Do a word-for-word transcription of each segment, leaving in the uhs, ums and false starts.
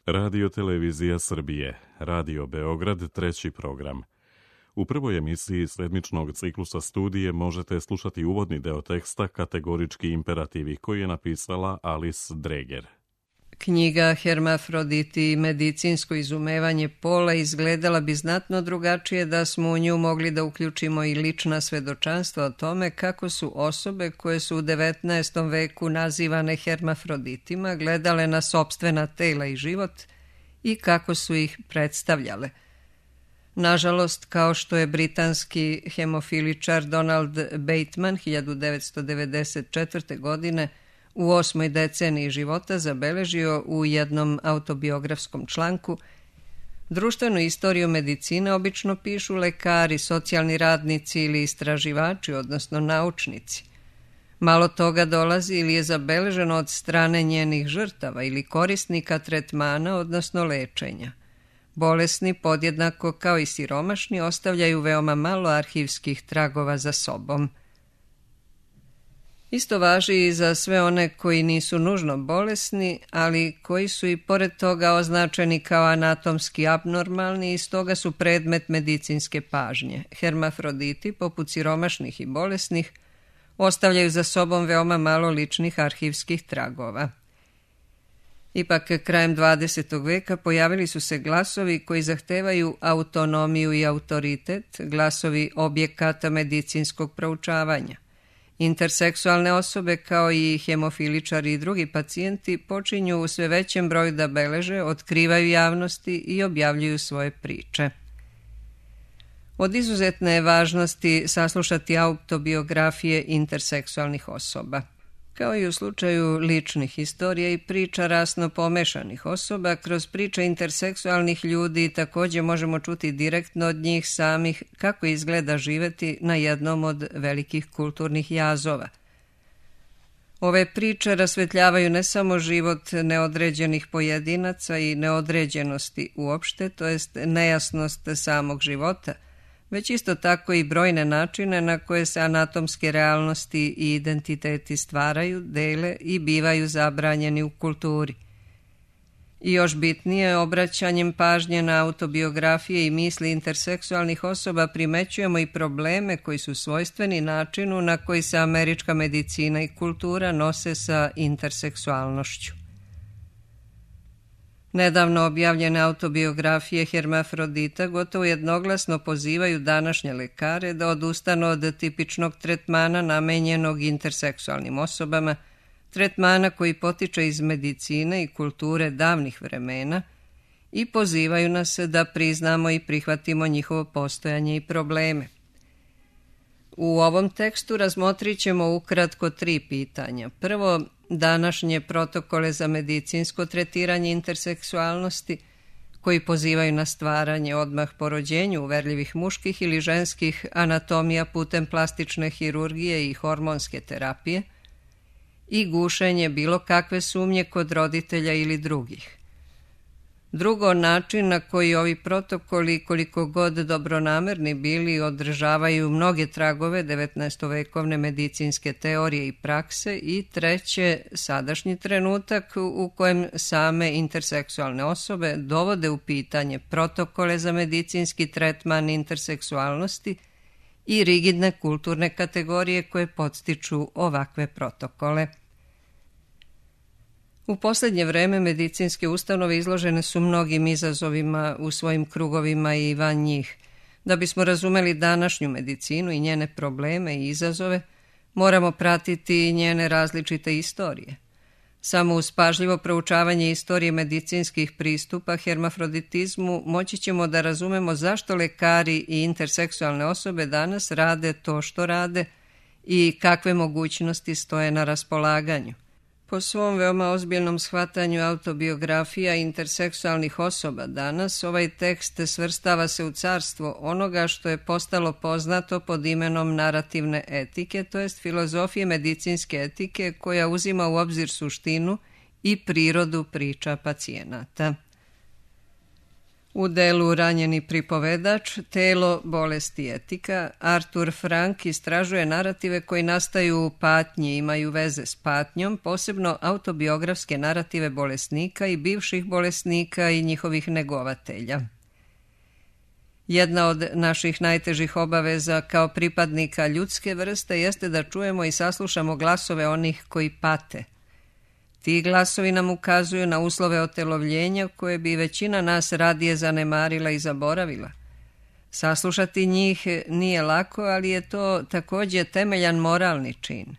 Radio Televizija Srbije, Radio Beograd, treći program. U prvoj emisiji sedmičnog ciklusa studije možete slušati uvodni deo teksta Kategorički imperativi koji je napisala Alice Dreger. Knjiga Hermafroditi i medicinsko izumevanje pola izgledala bi znatno drugačije da smo u nju mogli da uključimo i lična svedočanstva o tome kako su osobe koje su u devetnaestom veku nazivane hermafroditima gledale na sopstvena tela i život i kako su ih predstavljale. Nažalost, kao što je britanski hemofiličar Donald Bateman hiljadu devetsto devedeset četvrte. godine u osmoj deceniji života zabeležio u jednom autobiografskom članku, društvenu istoriju medicine obično pišu lekari, socijalni radnici ili istraživači, odnosno naučnici. Malo toga dolazi ili je zabeleženo od strane njenih žrtava ili korisnika tretmana, odnosno lečenja. Bolesni, podjednako kao i siromašni, ostavljaju veoma malo arhivskih tragova za sobom. Isto važi i za sve one koji nisu nužno bolesni, ali koji su i pored toga označeni kao anatomski abnormalni i stoga su predmet medicinske pažnje. Hermafroditi, poput siromašnih i bolesnih, ostavljaju za sobom veoma malo ličnih arhivskih tragova. Ipak, krajem dvadesetog veka pojavili su se glasovi koji zahtevaju autonomiju i autoritet, glasovi objekata medicinskog proučavanja. Interseksualne osobe kao i hemofiličari i drugi pacijenti počinju u sve većem broju da beleže, otkrivaju javnosti i objavljuju svoje priče. Od izuzetne je važnosti saslušati autobiografije interseksualnih osoba. Kao i u slučaju ličnih historija i priča rasno pomešanih osoba, kroz priče interseksualnih ljudi također možemo čuti direktno od njih samih kako izgleda živeti na jednom od velikih kulturnih jazova. Ove priče rasvetljavaju ne samo život neodređenih pojedinaca i neodređenosti uopšte, to jest nejasnost samog života, već isto tako i brojne načine na koje se anatomske realnosti i identiteti stvaraju, dele i bivaju zabranjeni u kulturi. I još bitnije, obraćanjem pažnje na autobiografije i misli interseksualnih osoba primećujemo i probleme koji su svojstveni načinu na koji se američka medicina i kultura nose sa interseksualnošću. Nedavno objavljene autobiografije hermafrodita gotovo jednoglasno pozivaju današnje lekare da odustanu od tipičnog tretmana namenjenog interseksualnim osobama, tretmana koji potiče iz medicine i kulture davnih vremena i pozivaju nas da priznamo i prihvatimo njihovo postojanje i probleme. U ovom tekstu razmotrit ćemo ukratko tri pitanja. Prvo, današnje protokole za medicinsko tretiranje interseksualnosti koji pozivaju na stvaranje odmah po rođenju uverljivih muških ili ženskih anatomija putem plastične hirurgije i hormonske terapije i gušenje bilo kakve sumnje kod roditelja ili drugih. Drugo, način na koji ovi protokoli, koliko god dobronamerni bili, održavaju mnoge tragove devetnaestovekovne medicinske teorije i prakse. I treće, sadašnji trenutak u kojem same interseksualne osobe dovode u pitanje protokole za medicinski tretman interseksualnosti i rigidne kulturne kategorije koje podstiču ovakve protokole. U posljednje vreme medicinske ustanove izložene su mnogim izazovima u svojim krugovima i van njih. Da bismo razumeli današnju medicinu i njene probleme i izazove, moramo pratiti njene različite istorije. Samo uz pažljivo proučavanje istorije medicinskih pristupa hermafroditizmu moći ćemo da razumemo zašto lekari i interseksualne osobe danas rade to što rade i kakve mogućnosti stoje na raspolaganju. Po svom veoma ozbiljnom shvatanju autobiografija interseksualnih osoba danas, ovaj tekst svrstava se u carstvo onoga što je postalo poznato pod imenom narativne etike, to jest filozofije medicinske etike koja uzima u obzir suštinu i prirodu priča pacijenata. U delu Ranjeni pripovedač, telo, bolest i etika, Artur Frank istražuje narative koji nastaju u patnji i imaju veze s patnjom, posebno autobiografske narative bolesnika i bivših bolesnika i njihovih negovatelja. Jedna od naših najtežih obaveza kao pripadnika ljudske vrste jeste da čujemo i saslušamo glasove onih koji pate. Ti glasovi nam ukazuju na uslove otelovljenja koje bi većina nas radije zanemarila i zaboravila. Saslušati njih nije lako, ali je to također temeljan moralni čin.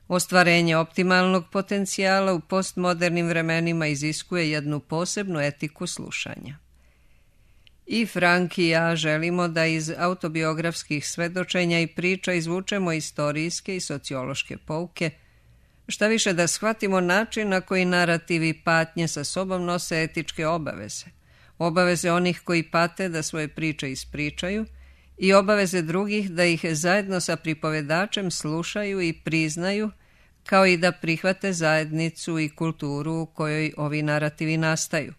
Ostvarenje optimalnog potencijala u postmodernim vremenima iziskuje jednu posebnu etiku slušanja. I Frank i ja želimo da iz autobiografskih svedočenja i priča izvučemo istorijske i sociološke pouke, šta više da shvatimo način na koji narativi patnje sa sobom nose etičke obaveze, obaveze onih koji pate da svoje priče ispričaju i obaveze drugih da ih zajedno sa pripovedačem slušaju i priznaju, kao i da prihvate zajednicu i kulturu u kojoj ovi narativi nastaju.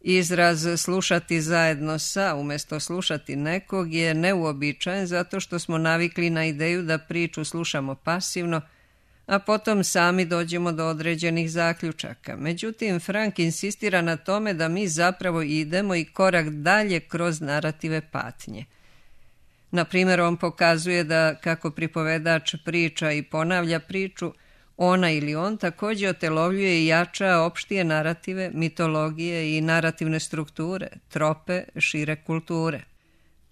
Izraz slušati zajedno sa umjesto slušati nekog je neuobičajen zato što smo navikli na ideju da priču slušamo pasivno, a potom sami dođemo do određenih zaključaka. Međutim, Frank insistira na tome da mi zapravo idemo i korak dalje kroz narative patnje. Na primjer, on pokazuje da kako pripovedač priča i ponavlja priču, ona ili on također otelovljuje i jača opštije narative, mitologije i narativne strukture, trope, šire kulture.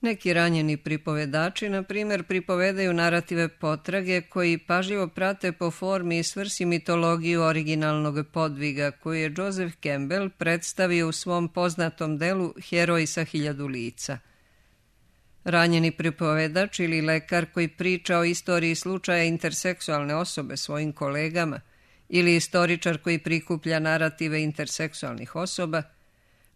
Neki ranjeni pripovedači, na primjer, pripovedaju narative potrage koji pažljivo prate po formi i svrsi mitologiju originalnog podviga koju je Joseph Campbell predstavio u svom poznatom delu Heroj sa hiljadu lica. Ranjeni pripovedač ili lekar koji priča o istoriji slučaja interseksualne osobe svojim kolegama ili istoričar koji prikuplja narative interseksualnih osoba,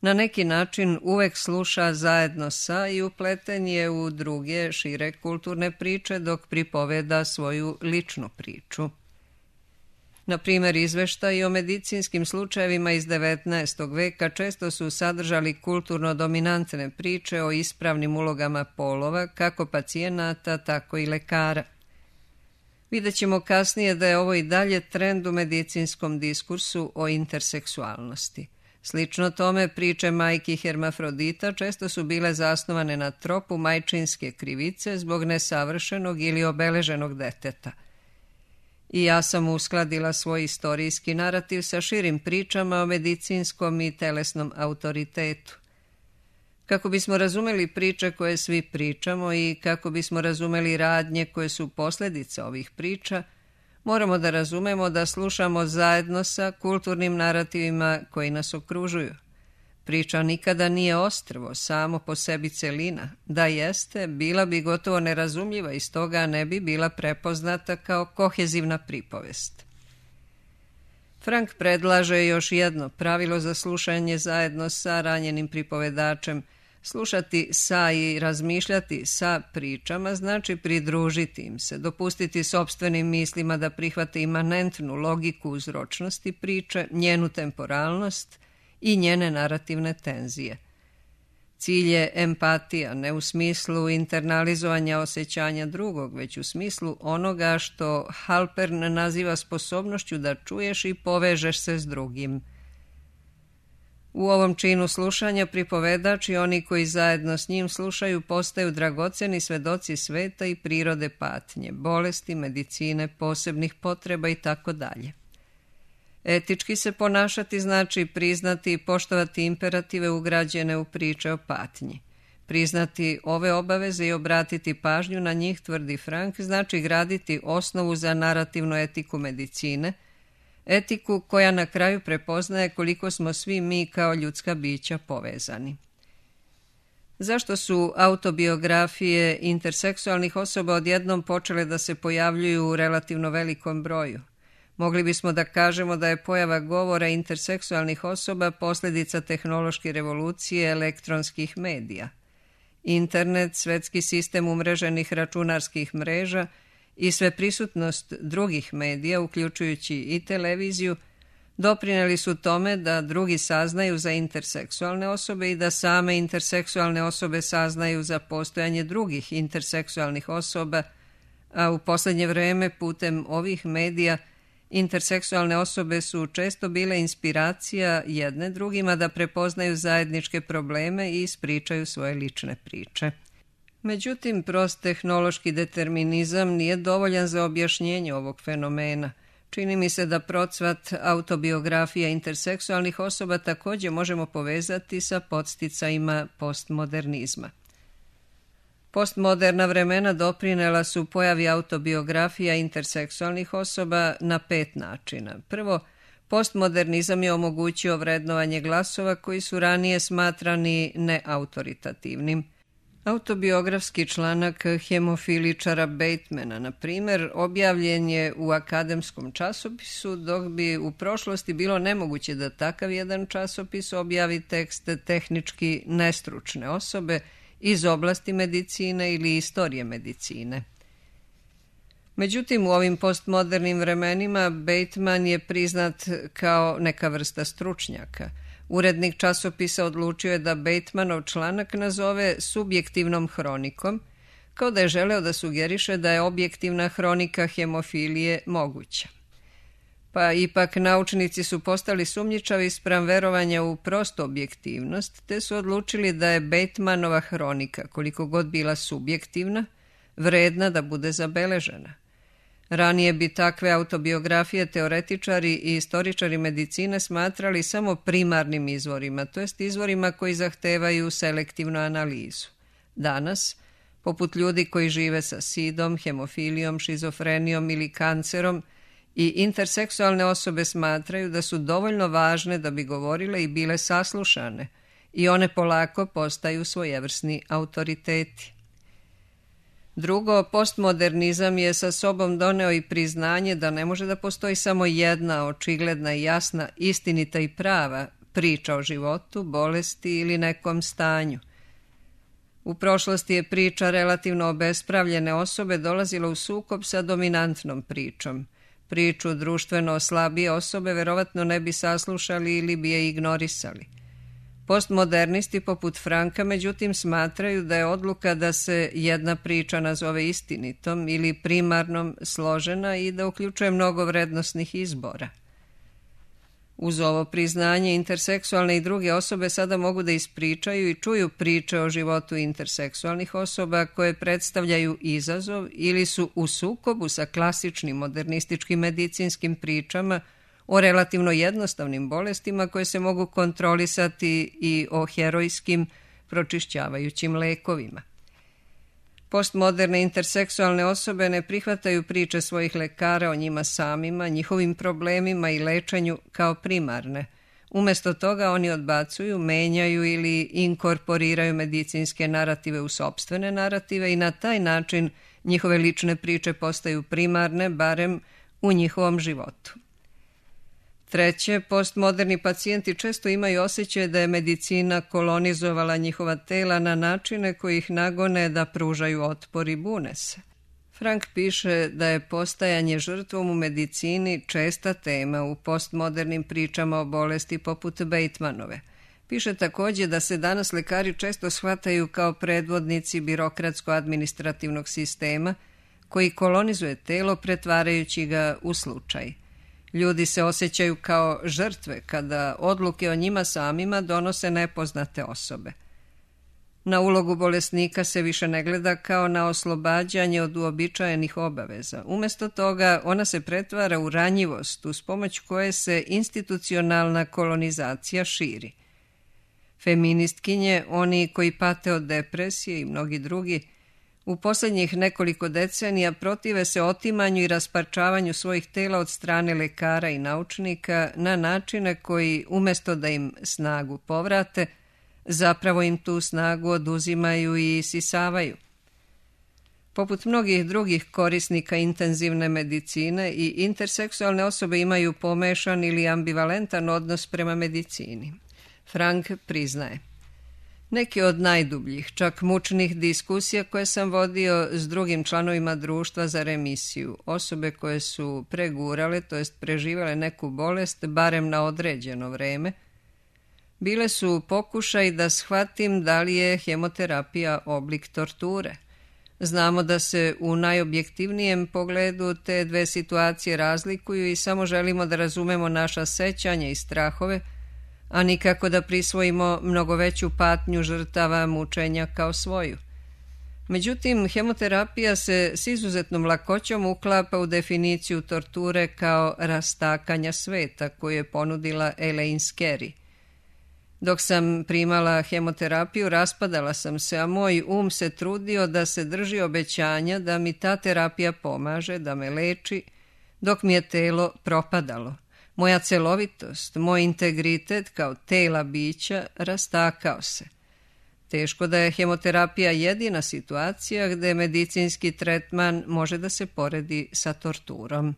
na neki način uvek sluša zajedno sa i upleten je u druge šire kulturne priče dok pripoveda svoju ličnu priču. Na primjer, izveštaji o medicinskim slučajevima iz devetnaestog veka često su sadržali kulturno dominantne priče o ispravnim ulogama polova, kako pacijenata, tako i lekara. Vidjet ćemo kasnije da je ovo i dalje trend u medicinskom diskursu o interseksualnosti. Slično tome, priče majki hermafrodita često su bile zasnovane na tropu majčinske krivice zbog nesavršenog ili obeleženog deteta. I ja sam uskladila svoj istorijski narativ sa širim pričama o medicinskom i telesnom autoritetu. Kako bismo razumeli priče koje svi pričamo i kako bismo razumeli radnje koje su posljedica ovih priča, moramo da razumemo da slušamo zajedno sa kulturnim narativima koji nas okružuju. Priča nikada nije ostrvo, samo po sebi celina. Da jeste, bila bi gotovo nerazumljiva i stoga ne bi bila prepoznata kao kohezivna pripovest. Frank predlaže još jedno pravilo za slušanje zajedno sa ranjenim pripovedačem. Slušati sa i razmišljati sa pričama znači pridružiti im se, dopustiti sopstvenim mislima da prihvate imanentnu logiku uzročnosti priče, njenu temporalnost i njene narativne tenzije. Cilj je empatija, ne u smislu internalizovanja osjećanja drugog, već u smislu onoga što Halpern naziva sposobnošću da čuješ i povežeš se s drugim. U ovom činu slušanja pripovedač i oni koji zajedno s njim slušaju postaju dragoceni svedoci sveta i prirode patnje, bolesti, medicine, posebnih potreba i tako dalje. Etički se ponašati znači priznati i poštovati imperative ugrađene u priče o patnji. Priznati ove obaveze i obratiti pažnju na njih, tvrdi Frank, znači graditi osnovu za narativnu etiku medicine, etiku koja na kraju prepoznaje koliko smo svi mi kao ljudska bića povezani. Zašto su autobiografije interseksualnih osoba odjednom počele da se pojavljuju u relativno velikom broju? Mogli bismo da kažemo da je pojava govora interseksualnih osoba posljedica tehnološke revolucije elektronskih medija. Internet, svetski sistem umreženih računarskih mreža i sveprisutnost drugih medija, uključujući i televiziju, doprinijeli su tome da drugi saznaju za interseksualne osobe i da same interseksualne osobe saznaju za postojanje drugih interseksualnih osoba, a u posljednje vrijeme putem ovih medija interseksualne osobe su često bile inspiracija jedne drugima da prepoznaju zajedničke probleme i ispričaju svoje lične priče. Međutim, prost tehnološki determinizam nije dovoljan za objašnjenje ovog fenomena. Čini mi se da procvat autobiografija interseksualnih osoba također možemo povezati sa podsticajima postmodernizma. Postmoderna vremena doprinela su pojavi autobiografija interseksualnih osoba na pet načina. Prvo, postmodernizam je omogućio vrednovanje glasova koji su ranije smatrani neautoritativnim. Autobiografski članak hemofiličara Batemana, na primjer, objavljen je u akademskom časopisu, dok bi u prošlosti bilo nemoguće da takav jedan časopis objavi tekst tehnički nestručne osobe iz oblasti medicine ili istorije medicine. Međutim, u ovim postmodernim vremenima Bateman je priznat kao neka vrsta stručnjaka. Urednik časopisa odlučio je da Batemanov članak nazove subjektivnom hronikom, kao da je želeo da sugeriše da je objektivna hronika hemofilije moguća. Pa ipak naučnici su postali sumnjičavi spram verovanja u prostu objektivnost, te su odlučili da je Batemanova hronika, koliko god bila subjektivna, vredna da bude zabeležena. Ranije bi takve autobiografije teoretičari i istoričari medicine smatrali samo primarnim izvorima, to jest izvorima koji zahtevaju selektivnu analizu. Danas, poput ljudi koji žive sa sidom, hemofilijom, šizofrenijom ili kancerom, i interseksualne osobe smatraju da su dovoljno važne da bi govorile i bile saslušane, i one polako postaju svojevrsni autoriteti. Drugo, postmodernizam je sa sobom doneo i priznanje da ne može da postoji samo jedna očigledna i jasna, istinita i prava priča o životu, bolesti ili nekom stanju. U prošlosti je priča relativno obespravljene osobe dolazila u sukob sa dominantnom pričom. Priču društveno slabije osobe verovatno ne bi saslušali ili bi je ignorisali. Postmodernisti poput Franka, međutim, smatraju da je odluka da se jedna priča nazove istinitom ili primarnom složena i da uključuje mnogo vrednosnih izbora. Uz ovo priznanje, interseksualne i druge osobe sada mogu da ispričaju i čuju priče o životu interseksualnih osoba koje predstavljaju izazov ili su u sukobu sa klasičnim modernističkim medicinskim pričama o relativno jednostavnim bolestima koje se mogu kontrolisati i o herojskim pročišćavajućim lekovima. Postmoderne interseksualne osobe ne prihvataju priče svojih lekara o njima samima, njihovim problemima i lečenju kao primarne. Umjesto toga oni odbacuju, menjaju ili inkorporiraju medicinske narative u sopstvene narative i na taj način njihove lične priče postaju primarne, barem u njihovom životu. Treće, postmoderni pacijenti često imaju osjećaj da je medicina kolonizovala njihova tela na načine koji ih nagone da pružaju otpor i bune se. Frank piše da je postajanje žrtvom u medicini česta tema u postmodernim pričama o bolesti poput Batemanove. Piše također da se danas lekari često shvataju kao predvodnici birokratsko-administrativnog sistema koji kolonizuje telo pretvarajući ga u slučaj. Ljudi se osjećaju kao žrtve kada odluke o njima samima donose nepoznate osobe. Na ulogu bolesnika se više ne gleda kao na oslobađanje od uobičajenih obaveza. Umjesto toga ona se pretvara u ranjivost uz pomoć koje se institucionalna kolonizacija širi. Feministkinje, oni koji pate od depresije i mnogi drugi, u posljednjih nekoliko decenija protive se otimanju i rasparčavanju svojih tela od strane lekara i naučnika na načine koji, umjesto da im snagu povrate, zapravo im tu snagu oduzimaju i isisavaju. Poput mnogih drugih korisnika intenzivne medicine, i interseksualne osobe imaju pomešan ili ambivalentan odnos prema medicini. Frank priznaje: Neki od najdubljih, čak mučnih diskusija koje sam vodio s drugim članovima društva za remisiju, osobe koje su pregurale, to jest preživale neku bolest, barem na određeno vreme, bile su pokušaj da shvatim da li je hemoterapija oblik torture. Znamo da se u najobjektivnijem pogledu te dve situacije razlikuju i samo želimo da razumemo naša sećanja i strahove, a nikako da prisvojimo mnogo veću patnju žrtava mučenja kao svoju. Međutim, hemoterapija se s izuzetnom lakoćom uklapa u definiciju torture kao rastakanja sveta koju je ponudila Elaine Scarry. Dok sam primala hemoterapiju, raspadala sam se, a moj um se trudio da se drži obećanja da mi ta terapija pomaže, da me leči, dok mi je telo propadalo. Moja celovitost, moj integritet kao tela bića rastakao se. Teško da je hemoterapija jedina situacija gde medicinski tretman može da se poredi sa torturom.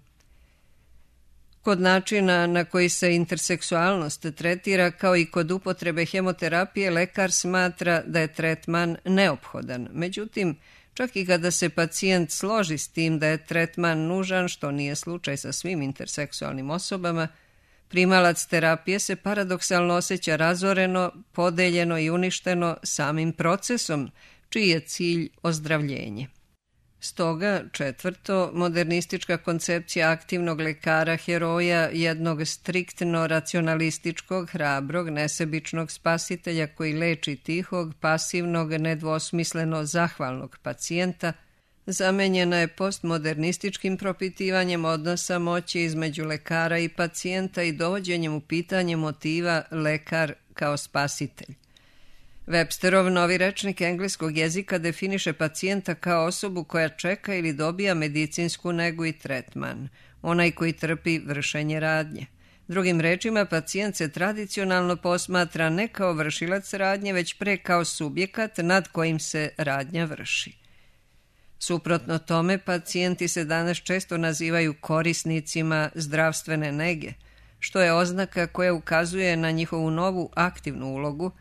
Kod načina na koji se interseksualnost tretira, kao i kod upotrebe hemoterapije, lekar smatra da je tretman neophodan. Međutim, čak i kada se pacijent složi s tim da je tretman nužan, što nije slučaj sa svim interseksualnim osobama, primalac terapije se paradoksalno osjeća razoreno, podeljeno i uništeno samim procesom, čiji je cilj ozdravljenje. Stoga, četvrto, modernistička koncepcija aktivnog lekara, heroja, jednog striktno racionalističkog, hrabrog, nesebičnog spasitelja koji leči tihog, pasivnog, nedvosmisleno zahvalnog pacijenta, zamenjena je postmodernističkim propitivanjem odnosa moći između lekara i pacijenta i dovođenjem u pitanje motiva lekar kao spasitelj. Websterov novi rečnik engleskog jezika definiše pacijenta kao osobu koja čeka ili dobija medicinsku negu i tretman, onaj koji trpi vršenje radnje. Drugim rečima, pacijent se tradicionalno posmatra ne kao vršilac radnje, već pre kao subjekat nad kojim se radnja vrši. Suprotno tome, pacijenti se danas često nazivaju korisnicima zdravstvene nege, što je oznaka koja ukazuje na njihovu novu aktivnu ulogu,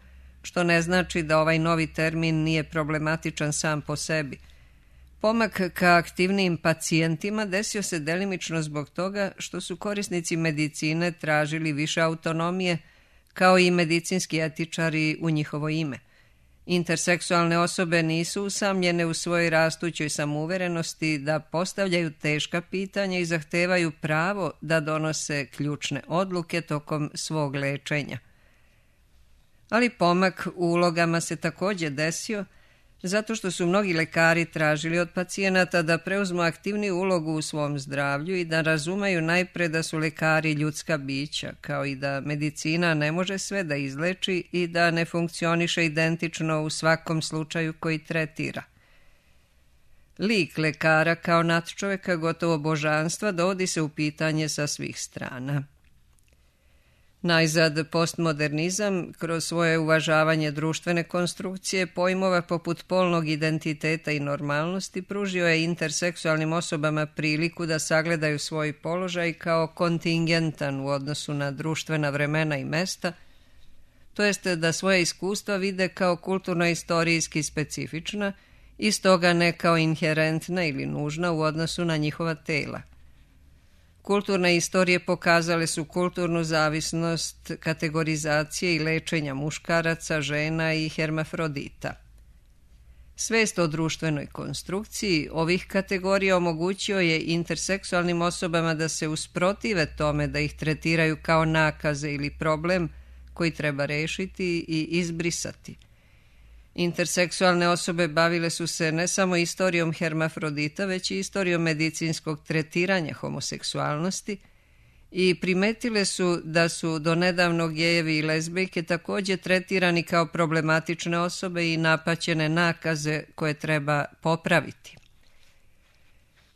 što ne znači da ovaj novi termin nije problematičan sam po sebi. Pomak ka aktivnijim pacijentima desio se delimično zbog toga što su korisnici medicine tražili više autonomije, kao i medicinski etičari u njihovo ime. Interseksualne osobe nisu usamljene u svojoj rastućoj samouverenosti da postavljaju teška pitanja i zahtevaju pravo da donose ključne odluke tokom svog lečenja. Ali pomak u ulogama se također desio zato što su mnogi lekari tražili od pacijenata da preuzmu aktivniju ulogu u svom zdravlju i da razumeju najpre da su lekari ljudska bića, kao i da medicina ne može sve da izleči i da ne funkcioniše identično u svakom slučaju koji tretira. Lik lekara kao nadčoveka, gotovo božanstva, dovodi se u pitanje sa svih strana. Najzad, postmodernizam, kroz svoje uvažavanje društvene konstrukcije, pojmova poput polnog identiteta i normalnosti, pružio je interseksualnim osobama priliku da sagledaju svoj položaj kao kontingentan u odnosu na društvena vremena i mesta, to jeste da svoje iskustva vide kao kulturno-istorijski specifična i stoga ne kao inherentna ili nužna u odnosu na njihova tela. Kulturne istorije pokazale su kulturnu zavisnost kategorizacije i lečenja muškaraca, žena i hermafrodita. Svest o društvenoj konstrukciji ovih kategorija omogućio je interseksualnim osobama da se usprotive tome da ih tretiraju kao nakaze ili problem koji treba rešiti i izbrisati. Interseksualne osobe bavile su se ne samo istorijom hermafrodita, već i istorijom medicinskog tretiranja homoseksualnosti i primetile su da su do nedavno gejevi i lezbijke također tretirani kao problematične osobe i napaćene nakaze koje treba popraviti.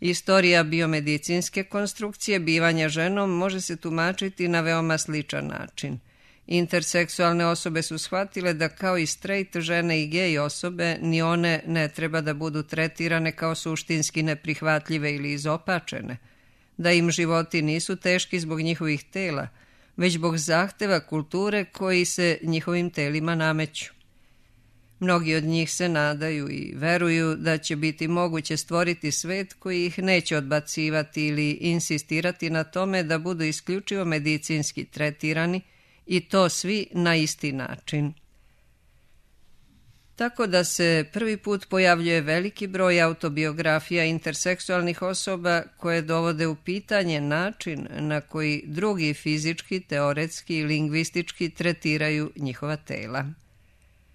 Istorija biomedicinske konstrukcije bivanja ženom može se tumačiti na veoma sličan način. Interseksualne osobe su shvatile da kao i straight žene i gej osobe, ni one ne treba da budu tretirane kao suštinski neprihvatljive ili izopačene, da im životi nisu teški zbog njihovih tela, već zbog zahteva kulture koji se njihovim telima nameću. Mnogi od njih se nadaju i veruju da će biti moguće stvoriti svet koji ih neće odbacivati ili insistirati na tome da budu isključivo medicinski tretirani i to svi na isti način. Tako da se prvi put pojavljuje veliki broj autobiografija interseksualnih osoba koje dovode u pitanje način na koji drugi fizički, teoretski i lingvistički tretiraju njihova tela.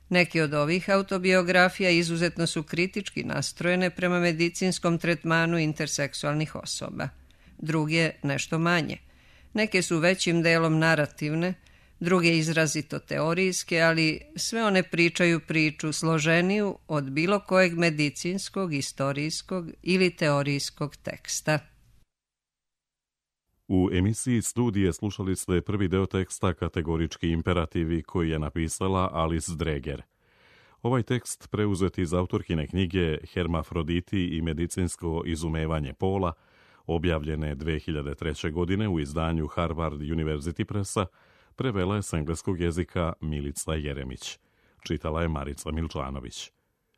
Neke od ovih autobiografija izuzetno su kritički nastrojene prema medicinskom tretmanu interseksualnih osoba. Druge nešto manje. Neke su većim delom narativne, druge izrazito teorijske, ali sve one pričaju priču složeniju od bilo kojeg medicinskog, istorijskog ili teorijskog teksta. U emisiji Studije slušali ste prvi deo teksta Kategorički imperativi koji je napisala Alice Dreger. Ovaj tekst preuzet iz autorkine knjige Hermafroditi i medicinsko izumevanje pola, objavljene dve hiljade treće. godine u izdanju Harvard University Pressa, prevela je s engleskog jezika Milica Jeremić. Čitala je Marica Milčanović.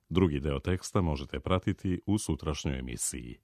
Drugi deo teksta možete pratiti u sutrašnjoj emisiji.